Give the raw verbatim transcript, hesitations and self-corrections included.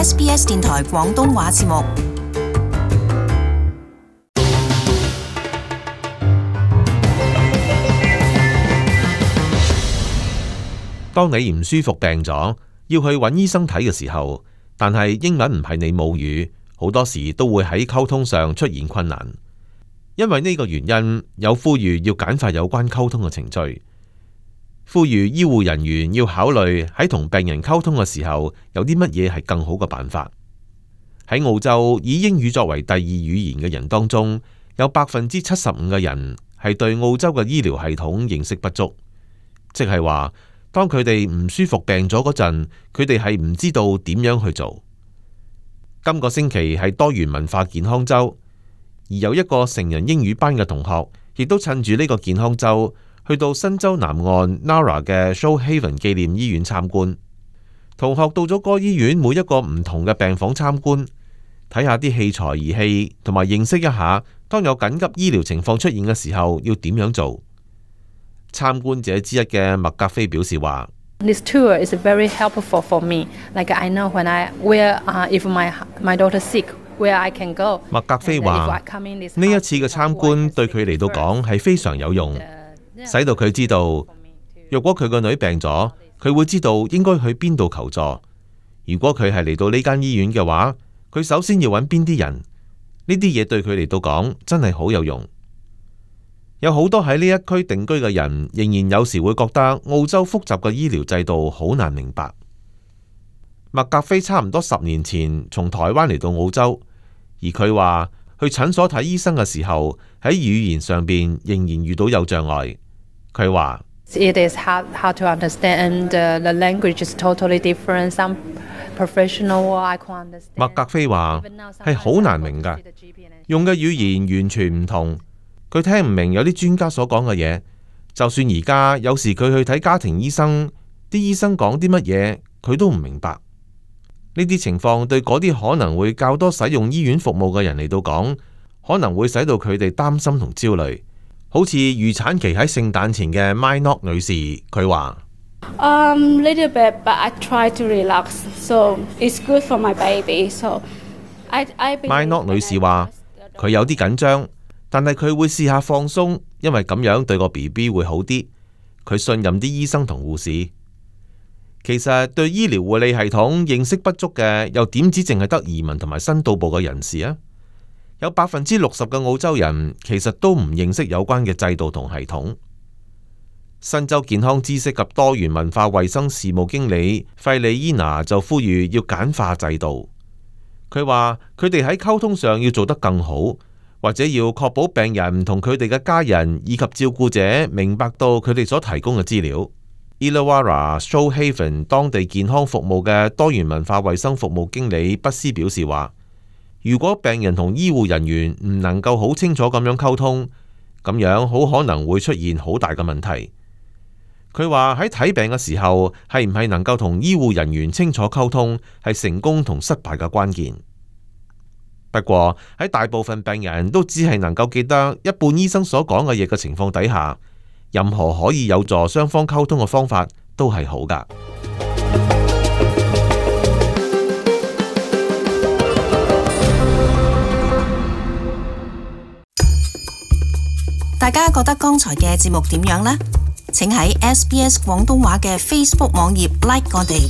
S B S 電台廣東話節目。當你唔舒服病咗，要去揾醫生睇嘅時候，但係英文唔係你母語，好多時都會喺溝通上出現困難。因為呢個原因，有呼籲要簡化有關溝通嘅程序，呼籲醫護人員要考慮喺同病人溝通嘅時候有啲乜嘢係更好嘅辦法。喺澳洲，以英語作為第二語言嘅人當中，有百分之七十五嘅人係對澳洲嘅醫療系統認識不足，即係話，當佢哋唔舒服病咗嗰陣，佢哋係唔知道點樣去做。今個星期係多元文化健康週，而有一個成人英語班嘅同學，亦都趁住呢個健康週，去到新州南岸 Nara 嘅 Shoalhaven 紀念醫院參觀。同學到咗嗰醫院每一個唔同嘅病房參觀，睇下啲器材儀器，同埋認識一下當有緊急醫療情況出現嘅時候要點樣做。參觀者之一嘅麥格菲表示話：This tour is very helpful for me. Like I know when I where if my my daughter sick, where I can go. 麥格菲話：呢一次嘅參觀對佢嚟到講係非常有用，使到佢知道，若果佢個女病咗，佢會知道應該去邊度求助。如果佢係嚟到呢間醫院嘅話，佢首先要揾邊啲人。呢啲嘢對佢嚟到講真係好有用。有好多喺呢一區定居嘅人，仍然有時會覺得澳洲複雜嘅醫療制度好難明白。麥格菲差唔多十年前從台灣嚟到澳洲，而佢話去診所睇醫生嘅時候，喺語言上邊仍然遇到有障礙。佢話：It is hard hard to understand. The language is totally different. Some professional I can't understand. 麥格菲話係好難明㗎，用嘅語言完全唔同。佢聽唔明有啲專家所講嘅嘢，就算而家有時佢去睇家庭醫生，啲醫生講啲乜嘢，佢都唔明白。呢啲情況對嗰啲可能會較多使用醫院服務嘅人嚟到講，可能會使到佢哋擔心同焦慮。好似預產期喺聖誕前嘅 Mynock 女士，佢話：Um, little bit, but I try to relax, so it's good for my baby. So I I. Mynock 女士話佢有啲緊張。但係佢會試下放鬆，因為咁樣對個 B B 會好啲。佢信任啲醫生同護士。其實對醫療護理系統認識不足嘅，又點止淨係得移民同埋新到埗嘅人士啊？有百分之六十嘅澳洲人其實都唔認識有關嘅制度同系統。新州健康知識及多元文化衛生事務經理費里伊娜就呼籲要簡化制度。佢話佢哋喺溝通上要做得更好。或者要確保病人同佢哋嘅家人以及照顧者明白到佢哋所提供嘅資料。Illawarra Shoalhaven 當地健康服務嘅多元文化衛生服務經理畢斯表示話：如果病人同醫護人員唔能夠好清楚咁樣溝通，咁樣好可能會出現好大嘅問題。佢話喺睇病嘅時候，係唔係能夠同醫護人員清楚溝通，係成功同失敗嘅關鍵。不過喺大部分病人都只係能夠記得一半醫生所講嘅嘢嘅情況底下，任何可以有助雙方溝通嘅方法都係好㗎。大家覺得剛才嘅節目點樣呢？請喺 S B S 廣東話嘅 Facebook 網頁 like 我哋。